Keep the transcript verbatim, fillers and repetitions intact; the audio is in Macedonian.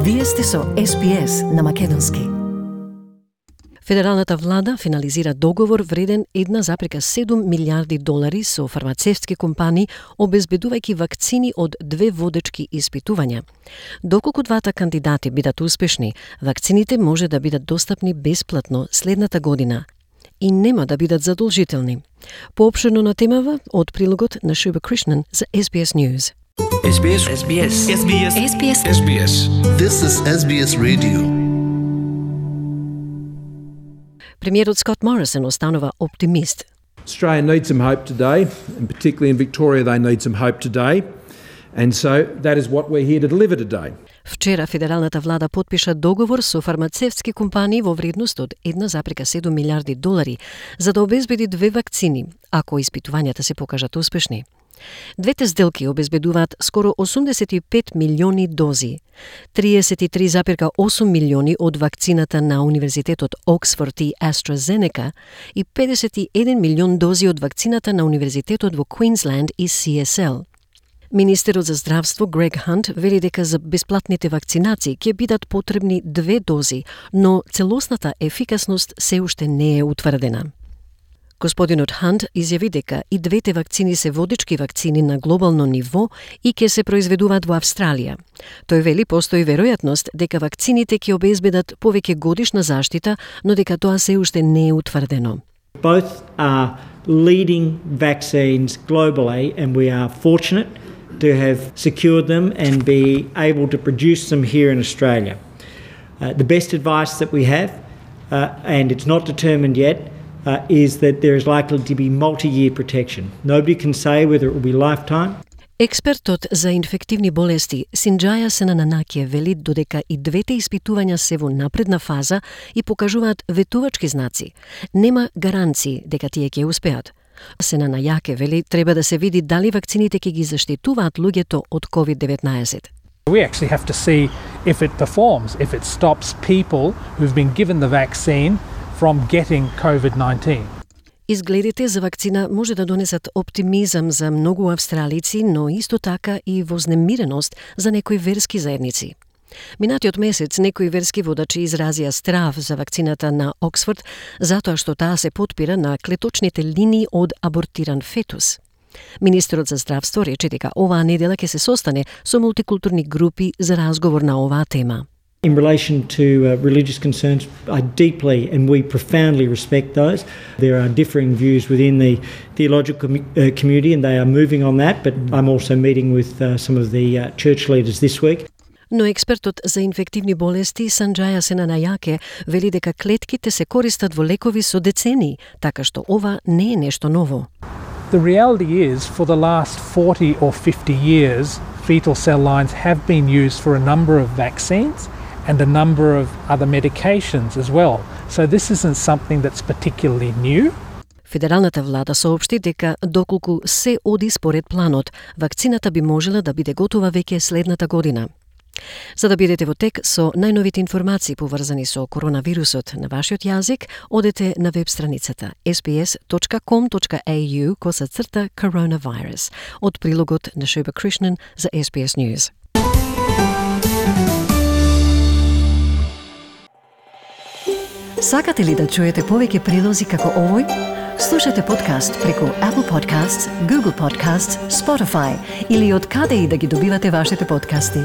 Вие сте со Ес Би Ес на македонски. Федералната влада финализира договор вреден една запрека седум милијарди долари со фармацевтски компании, обезбедувајќи вакцини од две водечки испитувања. Доколку двата кандидати бидат успешни, вакцините може да бидат достапни бесплатно следната година и нема да бидат задолжителни. Поопширно на темава од прилогот на Шуба Кришнан за Ес Би Ес News. Ес Би Ес. Ес Би Ес. Ес Би Ес. Ес Би Ес. Ес Би Ес. This is Ес Би Ес Radio. Премиерот Скот Морисон останува оптимист. Australia needs some hope today, and particularly in Victoria they need some hope today. And so that is what we're here to deliver today. Вчера федералната влада потпиша договор со фармацевтски компании во вредност од една запрека седум милијарди долари за да обезбеди две вакцини, ако испитувањата се покажат успешни. Двете сделки обезбедуваат скоро осумдесет и пет милиони дози, триесет и три зарез и осум милиони од вакцината на Универзитетот Оксфорд и AstraZeneca и педесет и еден милион дози од вакцината на Универзитетот во Квинсленд и Си Ес Ел. Министерот за здравство Грег Хант вели дека за бесплатните вакцинации ќе бидат потребни две дози, но целосната ефикасност се уште не е утврдена. Господинот Хант изјави дека и двете вакцини се водечки вакцини на глобално ниво и ќе се произведуваат во Австралија. Тој вели постои веројатност дека вакцините ќе обезбедат повеќе годишна заштита, но дека тоа се уште не е утврдено. Both are leading vaccines globally and we are fortunate to have secured them and be able to produce them here in Australia. Uh, the best advice that we have, uh, and it's not determined yet, Uh, is that there is likely to be multi-year protection. Nobody can say whether it will be lifetime. Експертот за инфективни болести Синџаја Сенананакие вели додека и двете испитувања се во напредна фаза и покажуваат ветувачки знаци, нема гаранции дека тие ќе успеат. Сенанаяке вели треба да се види дали вакцините ќе ги заштитуваат луѓето од ковид деветнаесет. We actually have to see if it performs, if it stops people who've been given the vaccine from getting COVID nineteen. Изгледите за вакцина може да донесат оптимизам за многу австралици, но исто така и вознемиреност за некои верски заедници. Минатиот месец некои верски водачи изразија страв за вакцината на Оксфорд затоа што таа се потпира на клеточните линии од абортиран фетус. Министерот за здравство рече дека оваа недела ќе се состане со мултикултурни групи за разговор на оваа тема. In relation to uh, religious concerns, I deeply and we profoundly respect those. There are differing views within the theological com- uh, community and they are moving on that, but I'm also meeting with uh, some of the uh, church leaders this week. Но експертот за инфективни болести Синџаја Сенанаяке вели дека клетките се користат во лекови со децении, така што ова не е нешто ново. The reality is, for the last forty or fifty years, fetal cell lines have been used for a number of vaccines and a number of other medications as well. So this isn't something that's particularly new. Федералната влада соопшти дека доколку се оди според планот, вакцината би можела да биде готова веќе следната година. За да бидете во тек со најновите информации поврзани со коронавирусот на вашиот јазик, одете на веб страницата ес би ес точка ком точка ей ю косацрта coronavirus од прилогот на Шуба Кришнан за Ес Би Ес News. Сакате ли да чуете повеќе прилози како овој? Слушате подкаст преку Apple Podcasts, Google Podcasts, Spotify или од каде и да ги добивате вашите подкасти.